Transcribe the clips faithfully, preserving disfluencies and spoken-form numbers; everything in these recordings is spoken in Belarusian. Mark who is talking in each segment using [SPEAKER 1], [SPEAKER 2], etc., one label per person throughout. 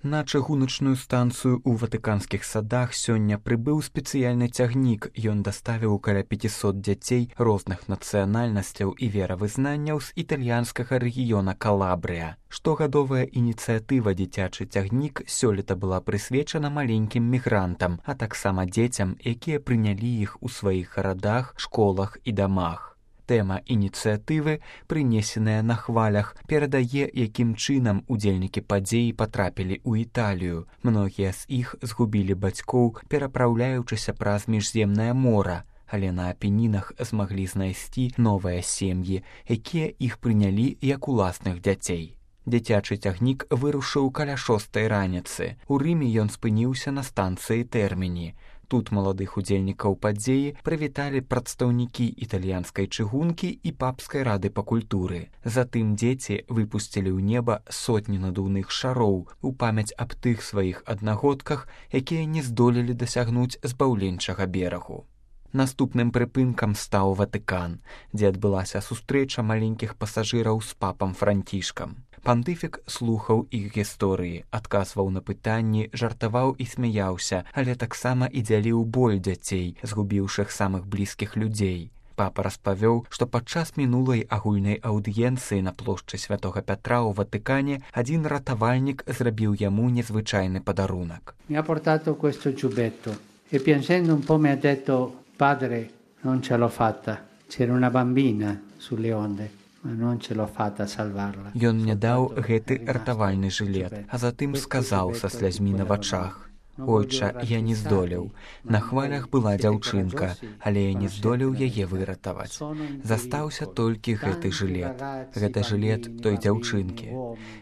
[SPEAKER 1] На чыгуначную станцыю ў ватыканскіх садах сёння прыбыў спецыяльны цягнік. Ён даставіў каля пяцісот дзяцей розных нацыянальнасцяў і веравызнанняў з італьянскага рэгіёна Калабрыя. Штогадовая ініцыятыва «Дзіцячы цягнік» сёлета была прысвечана маленькім мігрантам, а таксама дзецям, якія прынялі іх у сваіх гарадах, школах і дамах. Тэма ініцыятывы, прынесеная на хвалях, перадае, якім чынам удзельнікі падзеі патрапілі ў Італію. Многія з іх згубілі бацькоў, перапраўляючыся праз міжземнае мора, але на апенінах змаглі знайсці новыя сем'і, якія іх прынялі як уласных дзяцей. Дзіцячы цягнік вырушыў каля шостай раніцы. У Рыме ён спыніўся на станцыі Тэрміні. Тут маладых удзельнікаў падзеі прывіталі прадстаўнікі італьянскай чыгункі і папскай рады па культуры. Затым дзеці выпусцілі ў неба сотні надувных шароў у памяць аб тых сваіх аднагодках, якія не здолелі дасягнуць збаўленчага берагу. Наступным прыпынкам стаў Ватыкан, дзе адбылася сустрэча маленькіх пасажыраў з папам Францішкам. Пантыфік слухаў іх гісторыі, адказваў на пытанні, жартаваў і смяяўся, але таксама і дзяліў боль дзяцей, згубіўшых самых блізкіх людзей. Папа распавёў, што падчас мінулай агульнай аўдыенцыі на плошчы Святога Пятра ў Ватыкане адзін ратавальнік зрабіў яму незвычайны падарунак.
[SPEAKER 2] Mi ha portato questo giubbetto e piangendo un po' mi ha detto: "Padre, non ce l'ho fatta. C'era una bambina sulle onde".
[SPEAKER 1] Ён мне даў гэты ратавальны жылет, а затым сказаў са слязьмі на вачах: «Ойча, я не здолеў. На хвалях была дзяўчынка, але я не здолеў яе выратаваць. Застаўся толькі гэты жылет. Гэта жылет той дзяўчынкі.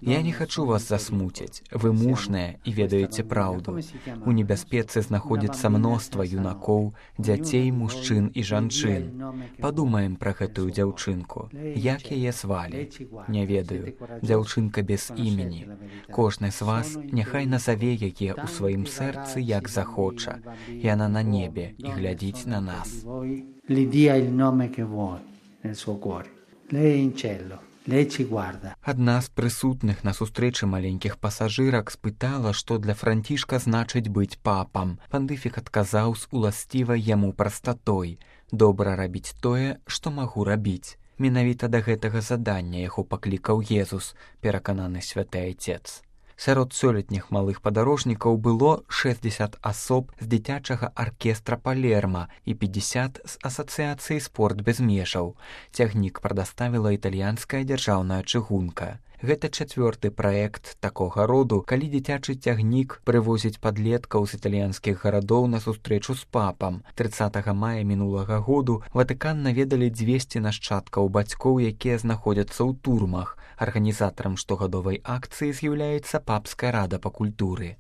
[SPEAKER 1] Я не хачу вас засмуціць. Вы мужныя і ведаеце праўду. У небяспецы знаходзіцца мноства юнакоў, дзяцей, мужчын і жанчын. Падумаем пра гэтую дзяўчынку. Як яе звалі? Не ведаю. Дзяўчынка без імені. Кожны з вас няхай назаве яе ў сваім сэрцы, сэрцы як захоча. Яна на небе і глядзіць на нас. Адна з прысутных на сустрэчы маленькіх пасажырак спытала, што для Францішка значыць быць папам. Пантыфік адказаў з уласцівай яму прастатой: «Добра рабіць тое, што магу рабіць». Менавіта да гэтага задання яго паклікаў Езус, перакананы святы Айцец. Сярод сёлетніх малых падарожнікаў было шэсцьдзесят асоб з дзіцячага аркестра Палерма і пятьдесят з асацыяцыі «Спорт без межаў». Цягнік прадаставіла італьянская дзяржаўная чыгунка. Гэта чацвёрты праект такога роду, калі дзіцячы цягнік прывозіць падлеткаў з італьянскіх гарадоў на сустрэчу з папам. трыццатага мая мінулага году Ватыкан наведалі дзвесце нашчадкаў бацькоў, якія знаходзяцца ў турмах. Арганізатарам штогадовай акцыі з'яўляецца папская рада па культуры.